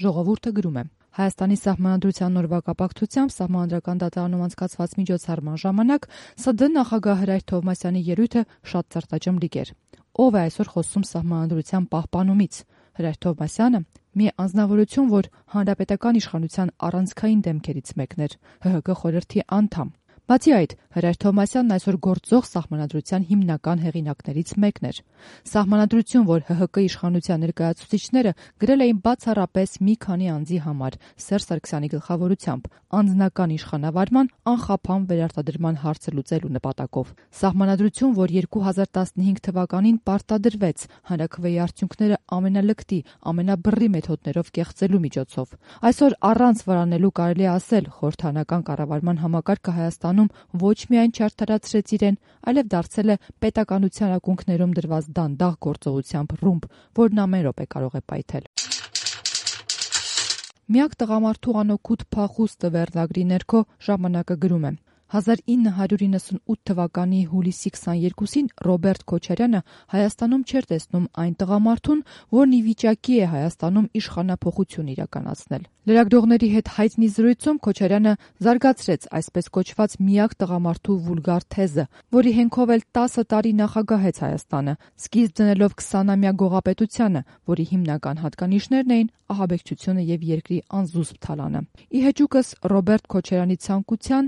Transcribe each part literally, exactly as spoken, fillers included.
Ժողովուրդը գրում է. Հայաստանի Սահմանադրության օրվա կապակցությամբ Սահմանադրական դատարանում անցկացված միջոցառման ժամանակ ՍԴ նախագահ Հրայր Թովմասյանի ելույթը շատ ծրտաջմլիկ էր։ Ով է այսօր խոսում Սահմանադրության պահպանումից։ Հրայր Թովմասյանը մի անձնավորություն, որ հանրապետական իշխանության առանցքային դեմքերից մեկն էր, ՀՀԿ խորհրդի անդամ։ Բացի այդ, Հրայր Թովմասյանն այսօր գործող Սահմանադրության հիմնական հեղինակներից մեկն էր։ Սահմանադրություն, որ ՀՀԿ իշխանության ներկայացուցիչները գրել էին բացառապես մի քանի անձի համար Սերժ Սարգսյանի գլխավորությամբ, անձնական իշխանավարման անխափան վերարտադրման հարցը լուծելու նպատակով։ Սահմանադրություն, որ երկու հազար տասնհինգ թվականին պարտադրվեց հանրաքվեի արդյունքները ամենալկտի, ամենաբռի մեթոդներով կեղծելու միջոցով։ Այսօր առանց վարանելու կարելի է ասել, խորհրդանական կառավարման համակարգը Հայաստանում ոչ միայն չարդարացրեց իրեն, այլև դարձել է պետականության ակունքներում դրված դանդաղ գործողությամբ ռումբ, որն ամեն րոպե կարող է պայթել։ Միակ տղամարդու անօգուտ փախուստը վերնագրի ներքո ժամանակը գրում է. հազար ինը հարյուր իննսունութ թվականի հուլիսի քսաներկուսին Ռոբերտ Քոչարյանը Հայաստանում չէր տեսնում այն տղամարդուն, որն ի վիճակի է Հայաստանում իշխանափոխություն իրականացնել։ Լրագրողների հետ հայտնի զրույցում Քոչարյանը զարգացրեց այսպես կոչված միակ տղամարդու վուլգար թեզը, որի հենքով էլ տասը տարի նախագահեց Հայաստանը, սկիզբ դնելով քսանամյա գողապետությանը, որի հիմնական հատկանիշներն էին ահաբեկչությունը եւ երկրի անզուսպ թալանը։ Ի հեճուկս Ռոբերտ Քոչարյանի ցանկության,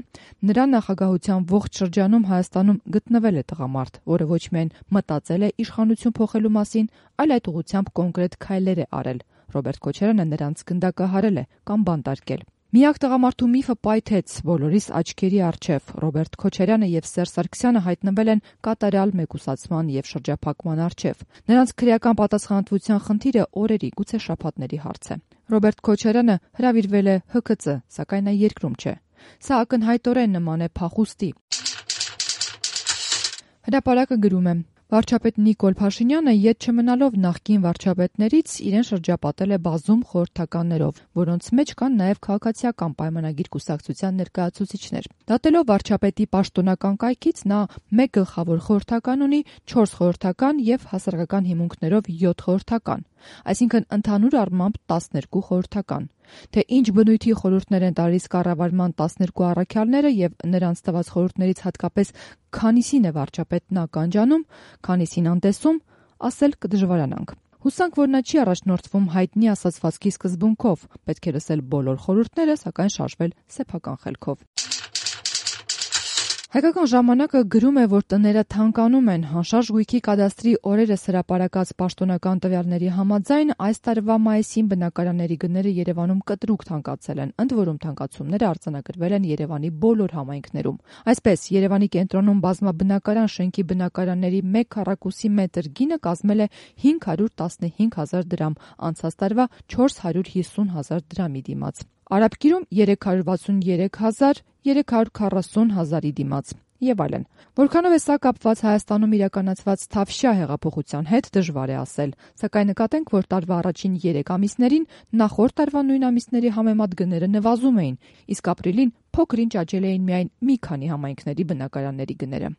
նրա նախագահության ողջ շրջանում Հայաստանում գտնվել է տղամարդ, որը ոչ միայն մտածել է իշխանություն փոխելու մասին, այլ այդ ուղղությամբ կոնկրետ քայլեր է արել։ Ռոբերտ Քոչարյանը նրանց գնդակահարել է կամ բանտարկել։ Միակ տղամարդու միֆը պայթեց բոլորիս աչքերի առջև։ Ռոբերտ Քոչարյանը եւ Սերժ Սարգսյանը հայտնվել են կատարյալ մեկուսացման եւ շրջափակման առջև։ Նրանց քրեական պատասխանատվության խնդիրը օրերի, գուցե շաբաթների հարց է։ Ռոբերտ Քոչարյանը հրավիրվել է Հ K C, սակայն նա երկրում չէ։ Սա ակնհայտորեն նման է փախուստի։ Հրապարակը գրում է. Վարչապետ Նիկոլ Փաշինյանը ետ չմնալով նախկին վարչապետներից իրեն շրջապատել է բազում խորհրդականներով, որոնց մեջ կան նաև քաղաքացիական պայմանագիր կուսակցության ներկայացուցիչներ։ Դատելով վարչապետի պաշտոնական կայքից նա մեկ գլխավոր խորհրդական ունի, չորս խորհրդական եւ հասարակական հիմունքներով յոթ խորհրդական, այսինքն ընդհանուր առմամբ տասներկու խորհրդական։ Թե ինչ բնույթի խորհուրդներ են տալիս կառավարման տասներկու առաքյալները եւ նրանց տված խորհուրդներից հատկապես քանիսին է վարչապետն ականջանում, քանիսին անտեսում, ասել կդժվարանանք։ Հուսանք, որ նա չի առաջնորդվում հայտնի ասացվածքի սկզբունքով, պետք է լսել բոլոր խորհուրդները, սակայն շարժվել սեփական խելքով։ Հայկական ժամանակը գրում է, որ տները թանկանում են։ Անշարժ գույքի կադաստրի օրերս հրապարակած պաշտոնական տվյալների համաձայն այս տարվա մայիսին բնակարանների գները Երևանում կտրուկ թանկացել են, ընդ որում թանկացումները արձանագրվել են Երևանի բոլոր համայնքներում։ Այսպես, Երևանի կենտրոնում բազմաբնակարան շենքի բնակարանների մեկ քառակուսի մետր գինը կազմել է հինգ հարյուր տասնհինգ հազար դրամ, անցած տարվա չորս հարյուր հիսուն հազար դրամի դիմաց։ Արաբկիրում երեք հարյուր վաթսուներեք հազար, երեք հարյուր քառասուն հազարի դիմաց եւ այլն։ Որքանով է սա կապված Հայաստանում իրականացված Թավշյա հեղափոխության հետ, դժվար է ասել, սակայն նկատենք, որ տարվա առաջին երեք ամիսներին նախորդ տարվա նույն ամիսների համեմատ գները նվազում էին, իսկ ապրիլին փոքր-ինչ աճել էին միայն մի քանի համայնքների բնակարանների գները։